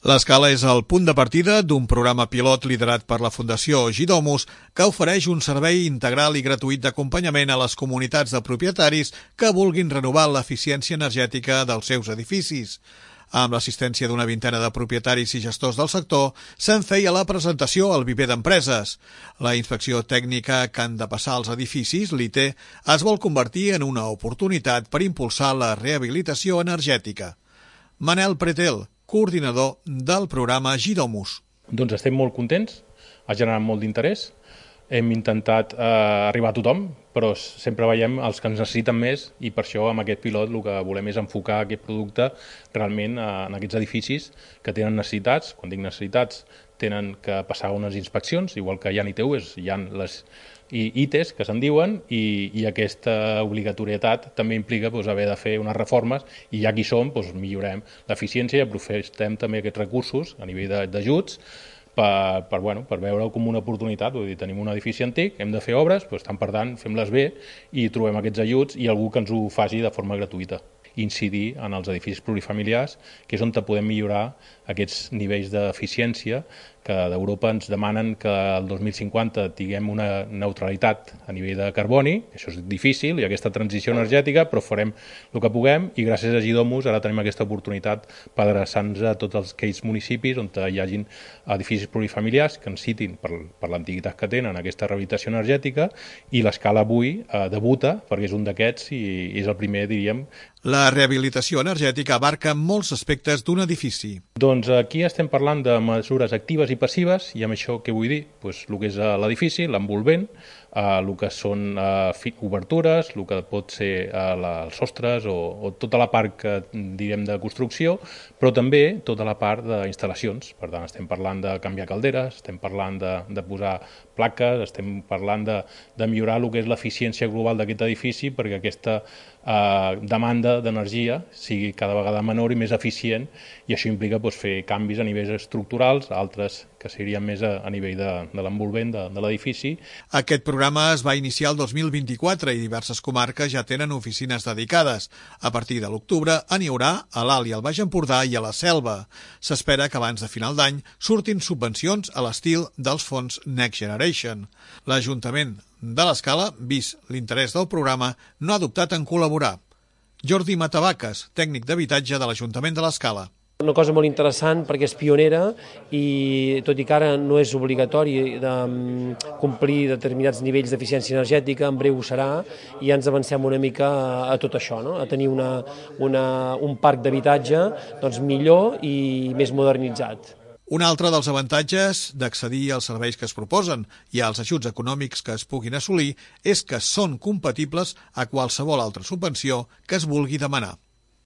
L'Escala és el punt de partida d'un programa pilot liderat per la Fundació Gidomus que ofereix un servei integral i gratuït d'acompanyament a les comunitats de propietaris que vulguin renovar l'eficiència energètica dels seus edificis. Amb l'assistència d'una vintena de propietaris i gestors del sector, se'n feia la presentació al viver d'empreses. La inspecció tècnica que han de passar als edificis, l'IT, es vol convertir en una oportunitat per impulsar la rehabilitació energètica. Manel Pretel, coordinador del programa Gidomus. Doncs estem molt contents, ha generat molt d'interès, hem intentat arribar a tothom, però sempre veiem els que ens necessiten més i per això amb aquest pilot el que volem és enfocar aquest producte realment en aquests edificis que tenen necessitats. Quan dic necessitats, tenen que passar unes inspeccions, igual que hi ha ITUs, hi ha les ITES que se'n diuen, i aquesta obligatorietat també implica haver de fer unes reformes i ja que hi som millorem l'eficiència i aprofitem també aquests recursos a nivell d'ajuts per veure-ho com una oportunitat. Vull dir, tenim un edifici antic, hem de fer obres, per tant fem-les bé i trobem aquests ajuts i algú que ens ho faci de forma gratuïta. Incidir en els edificis plurifamiliars, que és on podem millorar aquests nivells d'eficiència que d'Europa ens demanen que el 2050 tinguem una neutralitat a nivell de carboni. Això és difícil i aquesta transició energètica, però farem el que puguem i gràcies a Gidomus ara tenim aquesta oportunitat per adreçar-nos a tots aquells municipis on hi hagin edificis plurifamiliars que necessitin per l'antiguitat que tenen aquesta rehabilitació energètica, i l'Escala avui debuta perquè és un d'aquests i és el primer, diríem. La rehabilitació energètica abarca molts aspectes d'un edifici. Doncs aquí estem parlant de mesures actives i passives, i amb això què vull dir? El que és l'edifici, l'envolvent, el que són obertures, el que pot ser els sostres o tota la part que direm de construcció, però també tota la part d'instal·lacions. Per tant, estem parlant de canviar calderes, estem parlant de posar plaques, estem parlant de millorar el que és l'eficiència global d'aquest edifici perquè aquesta demanda d'energia sigui cada vegada menor i més eficient, i això implica fer canvis a nivells estructurals, altres que serien més a nivell de l'envolvent de l'edifici. Aquest programa es va iniciar el 2024 i diverses comarques ja tenen oficines dedicades. A partir de l'octubre n'hi haurà a l'Alt i al Baix Empordà i a la Selva. S'espera que abans de final d'any surtin subvencions a l'estil dels fons Next Generation. L'Ajuntament de l'Escala, vist l'interès del programa, no ha dubtat en col·laborar. Jordi Matavaques, tècnic d'habitatge de l'Ajuntament de l'Escala. Una cosa molt interessant perquè és pionera i tot i que ara no és obligatori de complir determinats nivells d'eficiència energètica, en breu ho serà, i ja ens avancem una mica a tot això, no? A tenir un parc d'habitatge millor i més modernitzat. Un altre dels avantatges d'accedir als serveis que es proposen i als ajuts econòmics que es puguin assolir és que són compatibles a qualsevol altra subvenció que es vulgui demanar.